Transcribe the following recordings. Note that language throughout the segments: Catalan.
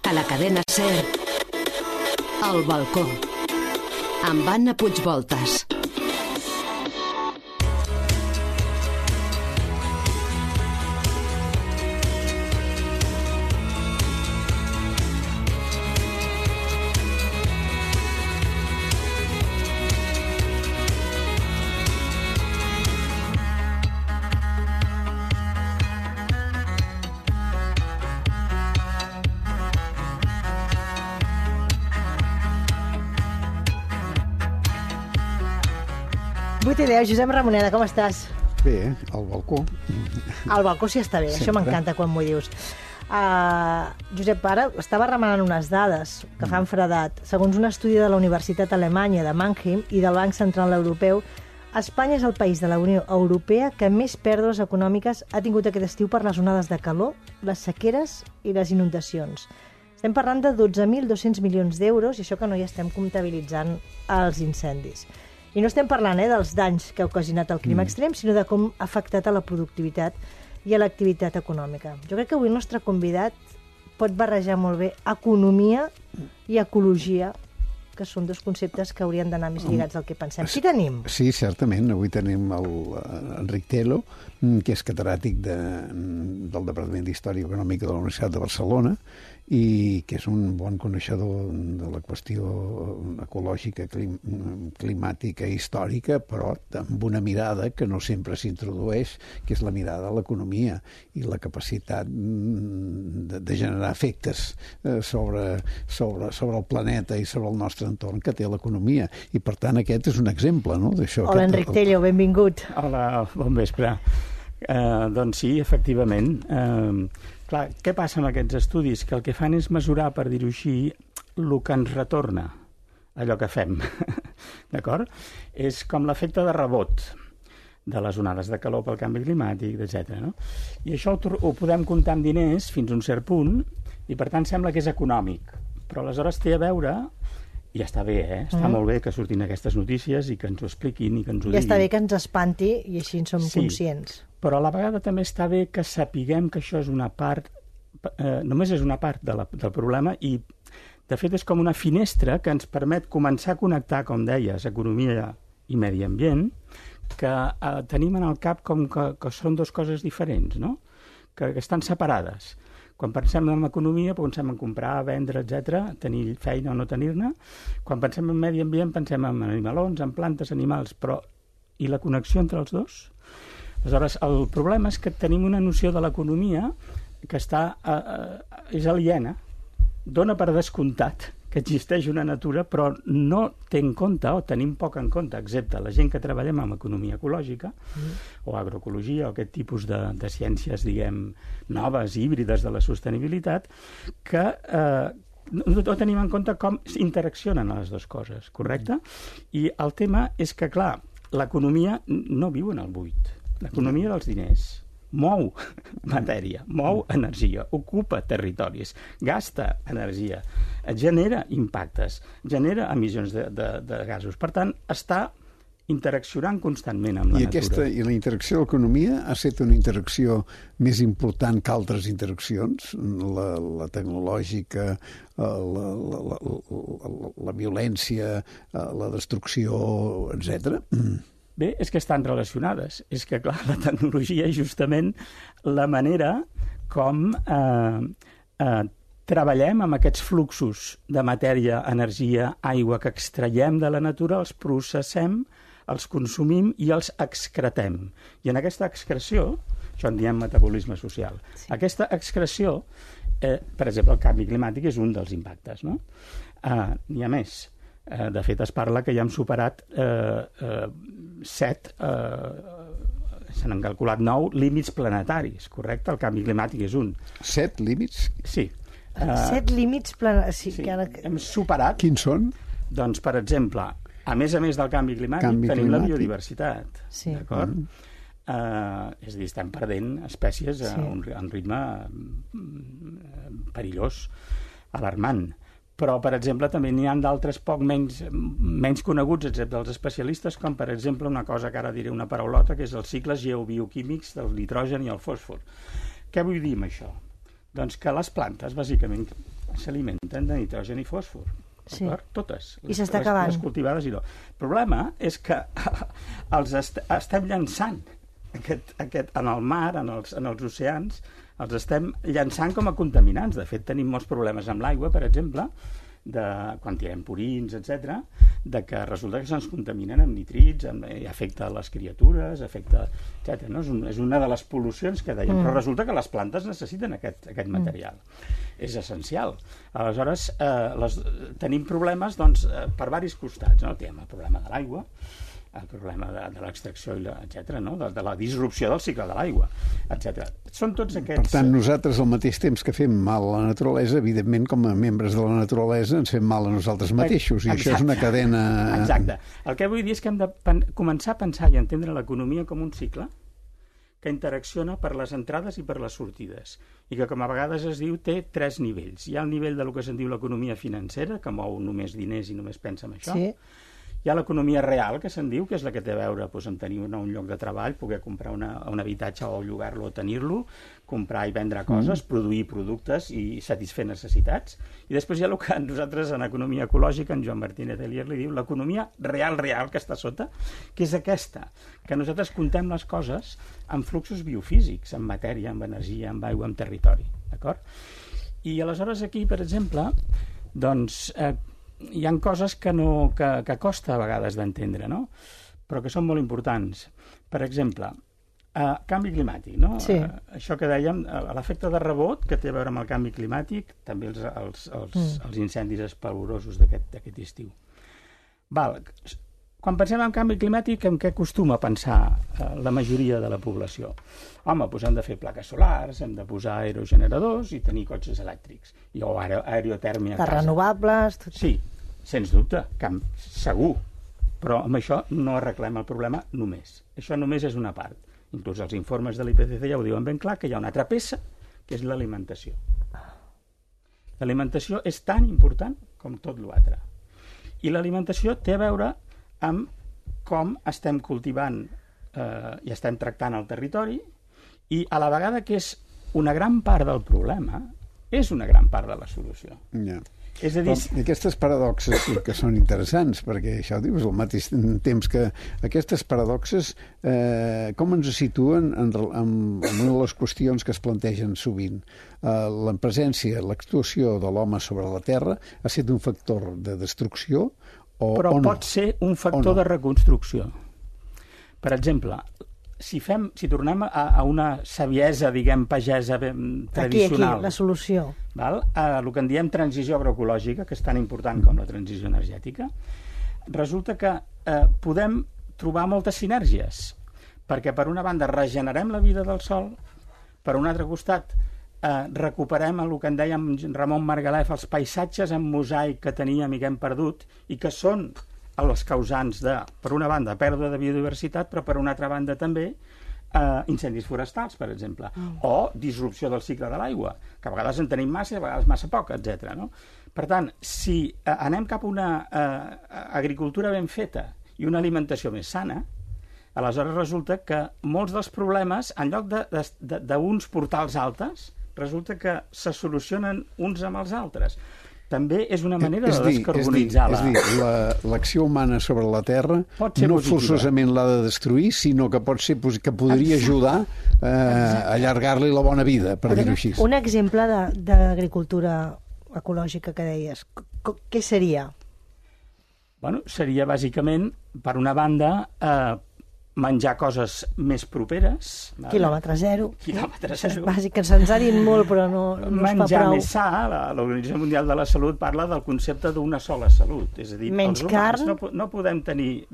A la cadena SER, El balcó, amb Anna Puigvoltas. Josep Ramoneda, com estàs? Bé, al balcó. Al balcó sí està bé, això m'encanta quan m'ho dius. Josep, ara estava remenant unes dades que fan fredat. Segons un estudi de la Universitat Alemanya de Mannheim i del Banc Central Europeu, Espanya és el país de la Unió Europea que més pèrdues econòmiques ha tingut aquest estiu per les onades de calor, les sequeres i les inundacions. Estem parlant de 12.200 milions d'euros i això que no hi estem comptabilitzant els incendis. I no estem parlant dels danys que ha ocasionat el clima extrem, sinó de com ha afectat a la productivitat i a l'activitat econòmica. Jo crec que avui el nostre convidat pot barrejar molt bé economia i ecologia, que són dos conceptes que haurien d'anar més lligats al que pensem. Qui tenim? Sí, certament. Avui tenim Enric Telo, que és catedràtic del Departament d'Història Econòmica de la Universitat de Barcelona i que és un bon coneixedor de la qüestió ecològica, climàtica i històrica, però amb una mirada que no sempre s'introdueix, que és la mirada a l'economia i la capacitat de generar efectes sobre el planeta i sobre el nostre entorn que té l'economia. I, per tant, aquest és un exemple, no?, d'això. Hola, Enric Tello, benvingut. Hola, bon vespre. Doncs sí, efectivament. Clar, què passa amb aquests estudis? Que el que fan és mesurar, per dir-ho així, el que ens retorna, allò que fem. D'acord? És com l'efecte de rebot de les onades de calor pel canvi climàtic, etc. No? I això ho podem comptar en diners fins a un cert punt i, per tant, sembla que és econòmic. Però aleshores té a veure... I està bé, Està molt bé que surtin aquestes notícies i que ens ho expliquin i que ens ho diguin. I està bé que ens espanti i així en som conscients. Però a la vegada també està bé que sapiguem que això és una part, només és una part del problema i, de fet, és com una finestra que ens permet començar a connectar, com deies, economia i medi ambient, que tenim en el cap com que són dues coses diferents, no? Que estan separades. Quan pensem en economia, pensem en comprar, vendre, etc., tenir feina o no tenir-ne. Quan pensem en medi ambient, pensem en animalons, en plantes, animals, però i la connexió entre els dos? Aleshores, el problema és que tenim una noció de l'economia que és aliena, dona per descomptat que existeix una natura, però no té en compte, o tenim poc en compte, excepte la gent que treballem amb economia ecològica, o agroecologia, o aquest tipus de ciències, diguem, noves, híbrides de la sostenibilitat, que no tenim en compte com interaccionen les dues coses, correcte? I el tema és que, clar, l'economia no viu en el buit. L'economia dels diners mou matèria, mou energia, ocupa territoris, gasta energia, genera impactes, genera emissions de gasos. Per tant, està interaccionant constantment amb la natura. I la interacció de l'economia ha estat una interacció més important que altres interaccions, la tecnològica, la violència, la destrucció, etc. Bé, és que estan relacionades. És que, clar, la tecnologia és justament la manera com treballem amb aquests fluxos de matèria, energia, aigua que extraiem de la natura, els processem, els consumim i els excretem. I en aquesta excreció, això en diem metabolisme social, aquesta excreció, per exemple, el canvi climàtic és un dels impactes, no? N'hi ha més. De fet, es parla que ja hem superat 7, se n'han calculat 9 límits planetaris, correcte? El canvi climàtic és un. 7 límits? Sí. 7 límits planetaris. Sí, hem superat. Quins són? Doncs, per exemple, a més del canvi climàtic, tenim la biodiversitat. Sí. D'acord? És a dir, estem perdent espècies a un ritme perillós, alarmant. Però, per exemple, també n'hi ha d'altres poc menys coneguts, excepte els especialistes, com, per exemple, una cosa que ara diré una paraulota, que és els cicles geobioquímics del nitrogen i el fòsfor. Què vull dir amb això? Doncs que les plantes, bàsicament, s'alimenten de nitrogen i fòsfor. Sí. Totes. I s'està acabant. Les cultivades i no. El problema és que els estem llançant en el mar, en els oceans, els estem llançant com a contaminants. De fet, tenim molts problemes amb l'aigua, per exemple, quan tirem purins, etc., de que resulta que se'ns contaminen amb nitrits, i afecta les criatures, etc. No? És una de les pol·lucions que dèiem, però resulta que les plantes necessiten aquest material. És essencial. Aleshores, tenim problemes per diversos costats. No? Tenim el problema de l'aigua, el problema de l'extracció, etc., no? de la disrupció del cicle de l'aigua, etc. Són tots aquests... Per tant, nosaltres, al mateix temps que fem mal a la naturalesa, evidentment, com a membres de la naturalesa, ens fem mal a nosaltres mateixos, i això és una cadena... Exacte. El que vull dir és que hem de començar a pensar i entendre l'economia com un cicle que interacciona per les entrades i per les sortides, i que, com a vegades es diu, té 3 nivells. Hi ha el nivell del que se'n diu l'economia financera, que mou només diners i només pensa en això. Sí. Hi ha l'economia real, que se'n diu, que és la que té a veure amb tenir un lloc de treball, poder comprar un habitatge o llogar-lo o tenir-lo, comprar i vendre coses, produir productes i satisfer necessitats. I després hi ha el que nosaltres en economia ecològica, en Joan Martínez Elier li diu l'economia real, que està sota, que és aquesta, que nosaltres contem les coses amb fluxos biofísics, amb matèria, amb energia, amb aigua, amb territori. D'acord? I aleshores aquí, per exemple, doncs... hi ha coses que costa a vegades d'entendre, no? Però que són molt importants. Per exemple, canvi climàtic, no? Sí. Això que dèiem, l'efecte de rebot que té a veure amb el canvi climàtic, també els incendis espavorosos d'aquest estiu. Quan pensem en canvi climàtic, en què acostuma a pensar la majoria de la població? Home, doncs hem de fer plaques solars, hem de posar aerogeneradors i tenir cotxes elèctrics, o aerotèrmia a casa. Renovables... Sí, sens dubte, segur. Però amb això no arreglem el problema només. Això només és una part. Inclús els informes de l'IPCC ja ho diuen ben clar, que hi ha una altra peça, que és l'alimentació. L'alimentació és tan important com tot l'altre. I l'alimentació té a veure amb com estem cultivant i estem tractant el territori, i a la vegada que és una gran part del problema, és una gran part de la solució. Ja. És a dir... Aquestes paradoxes sí que són interessants, perquè això dius al mateix temps que aquestes paradoxes com ens situen en una de les qüestions que es plantegen sovint. La presència, l'actuació de l'home sobre la Terra ha estat un factor de destrucció però pot ser un factor de reconstrucció. Per exemple, si tornem a una saviesa, diguem, pagesa tradicional... Aquí, la solució. El que en diem transició agroecològica, que és tan important com la transició energètica, resulta que podem trobar moltes sinergies, perquè per una banda regenerem la vida del sòl, per un altre costat recuperem el que en dèiem Ramon Margalef, els paisatges en mosaic que teníem i que hem perdut i que són els causants de, per una banda, pèrdua de biodiversitat, però per una altra banda també incendis forestals, per exemple, o disrupció del cicle de l'aigua, que a vegades en tenim massa i a vegades massa poc, etc. No? Per tant, si anem cap a una agricultura ben feta i una alimentació més sana, aleshores resulta que molts dels problemes, en lloc d'uns portals altes, resulta que se solucionen uns amb els altres. També és una manera de descarbonitzar l'acció humana sobre la Terra no forçosament l'ha de destruir, sinó que pot ser que podria ajudar a allargar-li la bona vida, per dir-ho així. Un exemple d'agricultura ecològica que deies, què seria? Bueno, seria bàsicament, per una banda, menjar coses més properes. Quilòmetre zero. Quilòmetre zero. Bàsic, que se'ns ha dit molt, però no es fa prou. Menjar més sa. L'Organització Mundial de la Salut parla del concepte d'una sola salut. És a dir, menys carn. No podem tenir...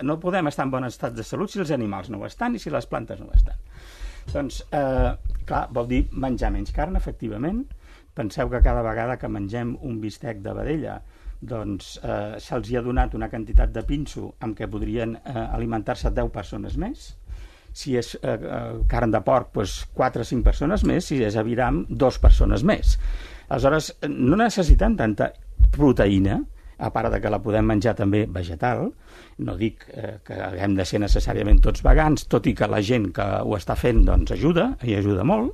No podem estar en bon estat de salut si els animals no ho estan i si les plantes no ho estan. Doncs, clar, vol dir menjar menys carn, efectivament. Penseu que cada vegada que mengem un bistec de vedella doncs se'ls ha donat una quantitat de pinso amb què podrien alimentar-se 10 persones més. Si és carn de porc, doncs 4 o 5 persones més. Si és aviram, 2 persones més. Aleshores, no necessitem tanta proteïna, a part de que la podem menjar també vegetal. No dic que haguem de ser necessàriament tots vegans, tot i que la gent que ho està fent doncs ajuda, i ajuda molt.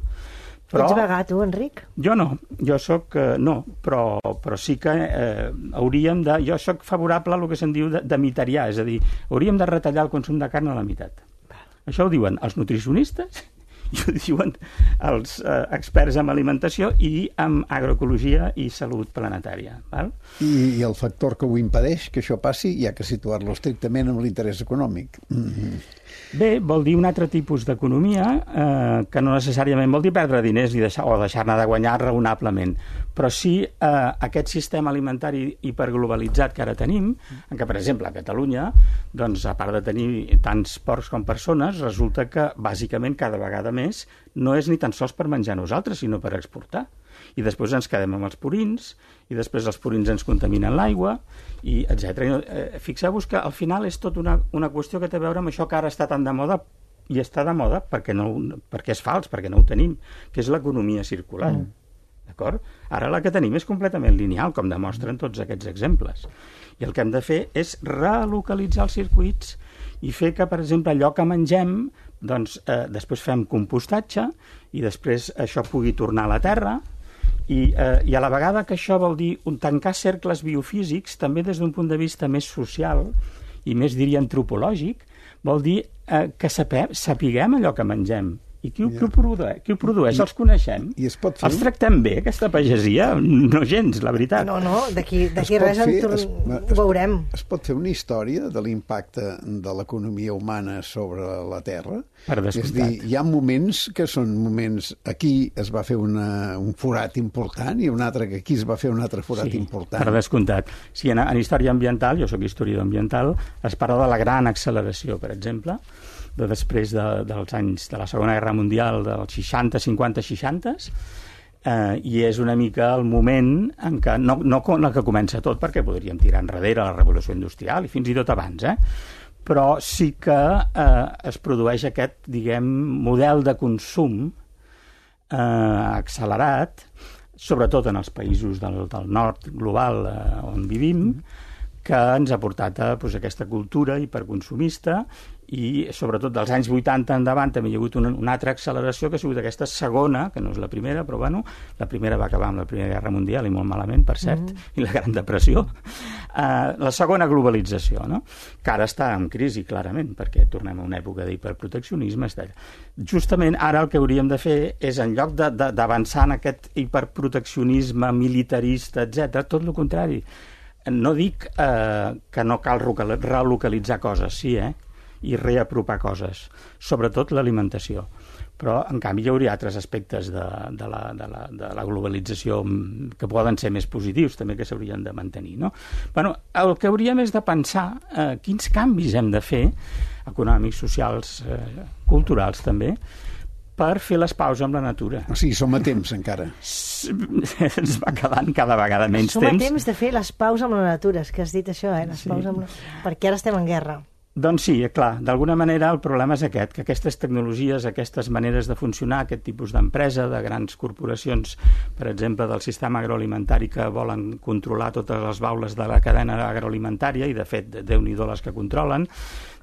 Però, ets vegà, tu, Enric? jo no, jo soc... no, però sí que hauríem de... Jo soc favorable a el que se'n diu de mitarià, és a dir, hauríem de retallar el consum de carn a la meitat. Això ho diuen els nutricionistes i ho diuen els experts en alimentació i en agroecologia i salut planetària. Val? I el factor que ho impedeix, que això passi, hi ha que situar-lo estrictament amb l'interès econòmic. Bé, vol dir un altre tipus d'economia que no necessàriament vol dir perdre diners o deixar-ne de guanyar raonablement, però sí aquest sistema alimentari hiperglobalitzat que ara tenim, en què, per exemple, a Catalunya, doncs, a part de tenir tants porcs com persones, resulta que, bàsicament, cada vegada més no és ni tan sols per menjar nosaltres, sinó per exportar. I després ens quedem amb els purins, i després els purins ens contaminen l'aigua, i etc. Fixeu-vos que al final és tot una qüestió que té a veure amb això que ara està tan de moda, i està de moda perquè és fals, perquè no ho tenim, que és l'economia circular. D'acord? Ara la que tenim és completament lineal, com demostren tots aquests exemples. I el que hem de fer és relocalitzar els circuits i fer que, per exemple, allò que mengem, doncs, després fem compostatge i després això pugui tornar a la terra, i a la vegada que això vol dir tancar cercles biofísics, també des d'un punt de vista més social i més, diria, antropològic, vol dir que sapiguem allò que mengem. I qui ho produeix? Els coneixem? Els tractem bé, aquesta pagesia? No gens, la veritat. No, d'aquí res ho veurem. Es pot fer una història de l'impacte de l'economia humana sobre la Terra? Per descomptat. És dir, hi ha moments que són moments... Aquí es va fer un forat important i un altre que aquí es va fer un altre forat important. Per descomptat. Sí, en història ambiental, jo sóc historiador ambiental, es parla de la gran acceleració, per exemple, de després dels anys de la Segona Guerra Mundial, dels 60, 50, 60, i és una mica el moment en què, no en el que comença tot, perquè podríem tirar enrere la revolució industrial, i fins i tot abans, però sí que es produeix aquest, diguem, model de consum accelerat, sobretot en els països del nord global on vivim, que ens ha portat a aquesta cultura hiperconsumista, i sobretot dels anys 80 endavant també hi ha hagut una altra acceleració que ha sigut aquesta segona, que no és la primera, però bueno, la primera va acabar amb la Primera Guerra Mundial i molt malament, per cert, i la Gran Depressió. La segona globalització, no? Que ara està en crisi, clarament, perquè tornem a una època d'hiperproteccionisme, etc. Justament ara el que hauríem de fer és, en lloc d'avançar en aquest hiperproteccionisme militarista, etc., tot el contrari. No dic que no cal relocalitzar coses, sí, i reapropar coses, sobretot l'alimentació. Però, en canvi, hi hauria altres aspectes de la globalització que poden ser més positius, també, que s'haurien de mantenir, no? Bueno, el que hauríem és de pensar quins canvis hem de fer, econòmics, socials, culturals, també, per fer les paus amb la natura. O sigui, som a temps, encara. Ens va quedant cada vegada menys temps. Som a temps de fer les paus amb la natura, és que has dit això, les paus amb perquè ara estem en guerra. Doncs sí, clar, d'alguna manera el problema és aquest, que aquestes tecnologies, aquestes maneres de funcionar, aquest tipus d'empresa, de grans corporacions, per exemple, del sistema agroalimentari que volen controlar totes les baules de la cadena agroalimentària, i de fet, Déu-n'hi-do les que controlen,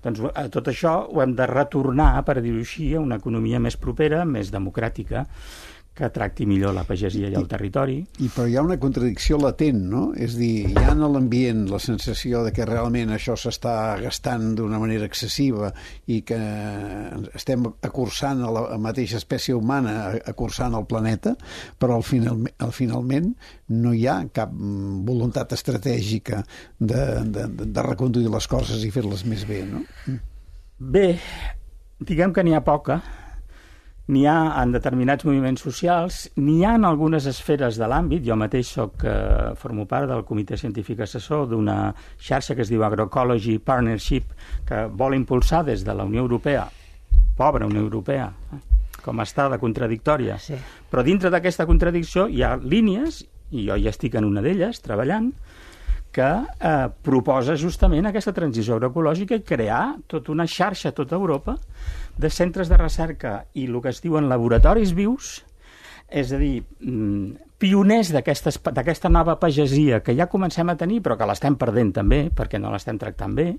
doncs tot això ho hem de retornar, per dir-ho així, a una economia més propera, més democràtica, que tracti millor la pagesia i el territori. Però hi ha una contradicció latent, no? És dir, hi ha en l'ambient la sensació de que realment això s'està gastant d'una manera excessiva i que estem acursant a la mateixa espècie humana, acursant el planeta, però finalment no hi ha cap voluntat estratègica de reconduir les coses i fer-les més bé, no? Bé, diguem que n'hi ha poca. N'hi ha en determinats moviments socials, n'hi ha en algunes esferes de l'àmbit. Jo mateix formo part del comitè científic assessor d'una xarxa que es diu Agroecology Partnership, que vol impulsar des de la Unió Europea, pobra Unió Europea, com està de contradictòria. Sí. Però dintre d'aquesta contradicció hi ha línies, i jo ja estic en una d'elles, treballant, que proposa justament aquesta transició agroecològica i crear tota una xarxa a tota Europa de centres de recerca i el que es diuen laboratoris vius, és a dir, pioners d'aquesta nova pagesia que ja comencem a tenir però que l'estem perdent també perquè no l'estem tractant bé,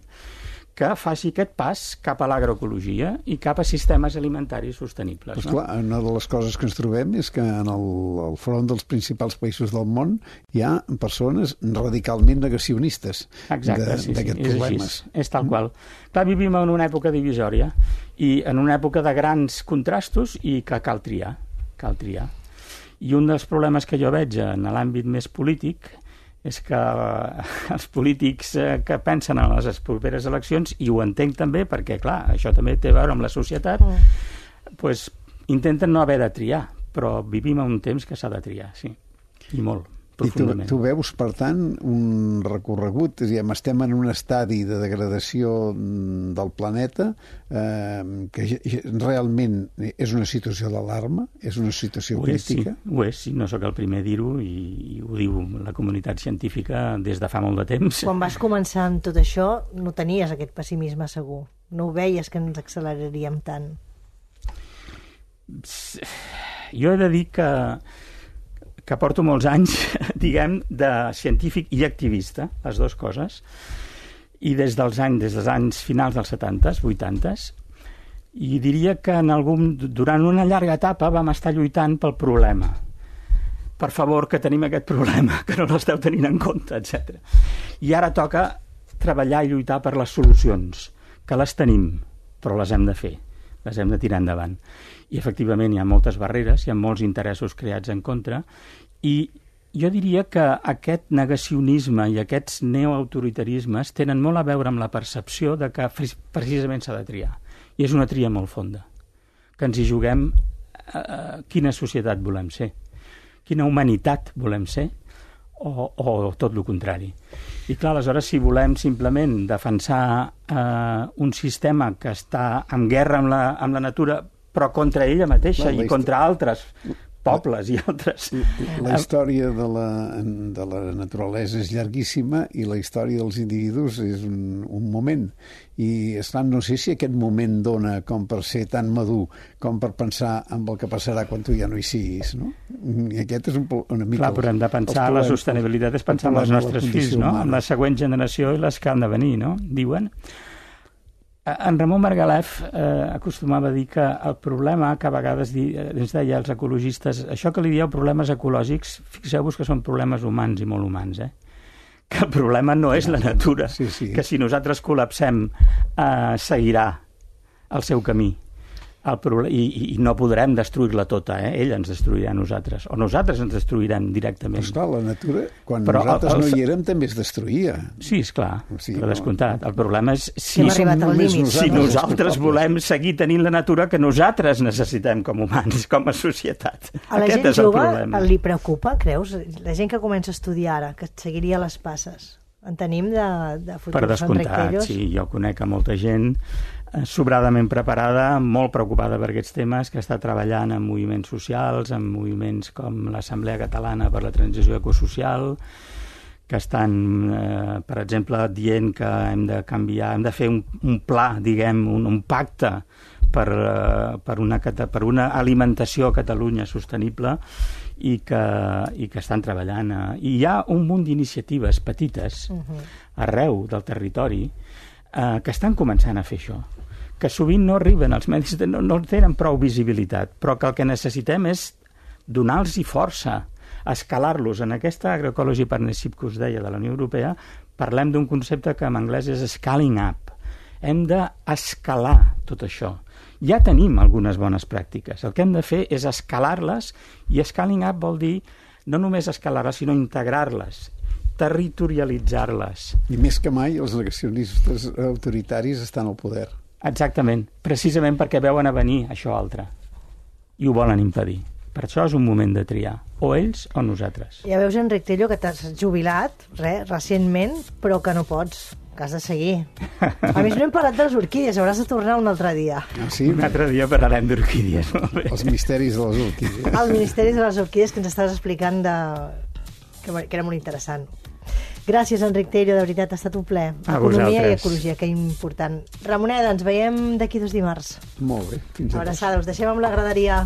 que faci aquest pas cap a l'agroecologia i cap a sistemes alimentaris sostenibles. Pues clar, una de les coses que ens trobem és que en el front dels principals països del món hi ha persones radicalment negacionistes d'aquests problemes. És tal qual. Clar, vivim en una època divisòria i en una època de grans contrastos i que cal triar. I un dels problemes que jo veig en l'àmbit més polític és que els polítics que pensen en les properes eleccions, i ho entenc també perquè, clar, això també té a veure amb la societat, doncs intenten no haver de triar, però vivim en un temps que s'ha de triar, sí, i molt, profundament. I tu veus, per tant, un recorregut, estem en un estadi de degradació del planeta que realment és una situació d'alarma, és una situació crítica? Ho és, sí, no sóc el primer a dir-ho i ho diu la comunitat científica des de fa molt de temps. Quan vas començar amb tot això no tenies aquest pessimisme segur, no ho veies que ens acceleraríem tant? Jo he de dir que porto molts anys, diguem, de científic i activista, les dues coses, i des dels anys finals dels 70s, 80s, i diria que durant una llarga etapa vam estar lluitant pel problema. Per favor, que tenim aquest problema, que no l'esteu tenint en compte, etc. I ara toca treballar i lluitar per les solucions, que les tenim, però les hem de fer, les hem de tirar endavant. I efectivament hi ha moltes barreres, hi ha molts interessos creats en contra, i jo diria que aquest negacionisme i aquests neoautoritarismes tenen molt a veure amb la percepció de que precisament s'ha de triar. I és una tria molt fonda, que ens hi juguem quina societat volem ser, quina humanitat volem ser, o tot el contrari. I clar, aleshores, si volem simplement defensar un sistema que està en guerra amb la natura, però contra ella mateixa i contra altres pobles i altres... La història de la naturalesa és llarguíssima i la història dels individus és un moment. I, esclar, no sé si aquest moment dona com per ser tan madur com per pensar en el que passarà quan tu ja no hi siguis, no? I aquest és una mica... Clar, però hem de pensar, la sostenibilitat és pensar en els nostres fills, no? En la següent generació i les que han de venir, no? Diuen... En Ramon Margalef acostumava a dir que el problema que a vegades ens deia als ecologistes, això que li dieu problemes ecològics, fixeu-vos que són problemes humans i molt humans, que el problema no és la natura, que si nosaltres col·lapsem seguirà el seu camí. I no podrem destruir-la tota, ella ens destruirà a nosaltres, o nosaltres ens destruirem directament. Però esclar, la natura, quan nosaltres no hi érem, també es destruïa. Sí, esclar, però descomptat. El problema és si nosaltres volem seguir tenint la natura que nosaltres necessitem com humans, com a societat. A la gent jove li preocupa, creus? La gent que comença a estudiar ara, que seguiria les passes. En tenim de futurs per descomptat, sí, jo conec a molta gent sobradament preparada, molt preocupada per aquests temes, que està treballant en moviments socials, en moviments com l'Assemblea Catalana per la Transició Ecosocial, que estan, per exemple, dient que hem de canviar, hem de fer un pla, diguem, un pacte per una alimentació a Catalunya sostenible i que estan treballant. I hi ha un munt d'iniciatives petites arreu del territori que estan començant a fer això, que sovint no arriben als medis, no tenen prou visibilitat, però que el que necessitem és donar-los força, escalar-los. En aquesta Agroecology Partnership que us deia de la Unió Europea parlem d'un concepte que en anglès és scaling up. Hem d'escalar tot això. Ja tenim algunes bones pràctiques. El que hem de fer és escalar-les, i scaling up vol dir no només escalar-les, sinó integrar-les, territorialitzar-les. I més que mai els negacionistes autoritaris estan al poder. Exactament, precisament perquè veuen a venir això altre i ho volen impedir. Per això és un moment de triar, o ells o nosaltres. Ja veus, Enric Tello, que t'has jubilat recentment, però que no pots, que has de seguir. A més, no hem parlat de les orquídies, hauràs de tornar un altre dia. Sí? Un altre dia parlarem d'orquídies. Els misteris de les orquídies. Els misteris de les orquídies que ens estàs explicant que era molt interessant. Gràcies, Enric Tello, de veritat, ha estat un plaer. Economia i ecologia, que important. Ramoneda, ens veiem d'aquí 2 dimarts. Molt bé, fins a abraçada, us deixem amb la graderia.